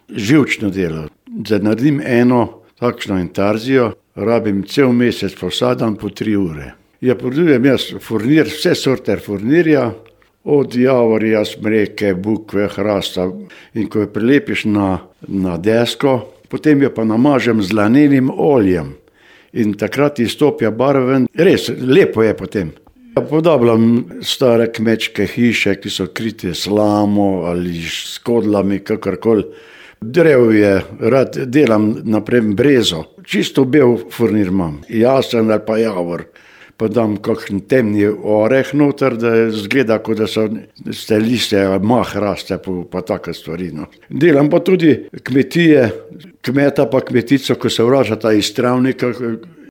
živčno delo. Da naredim eno takšno intarzijo, rabim cel mesec, vsak dan po 3 ure. Ja, prodajujem jaz furnir, vse sorte furnirja, od javorja, smreke, bukve, hrasta. In ko jo prilepiš na desko, potem jo pa namažem z lanenim oljem. In takrat izstopijo barve, res lepo je potem. Podobljam stare kmečke hiše, ki so krite slamo ali s kodlami, kakorkoli. Drevje, rad delam naprej brezo. Čisto bel furnir imam, jasen ali pa javor. Pa dam kakšen temni oreh noter, da zgleda, kot da so liste, mah raste, pa take stvari. No. Delam pa tudi kmetije, kmeta pa kmetico, ko se vračata iz travnika,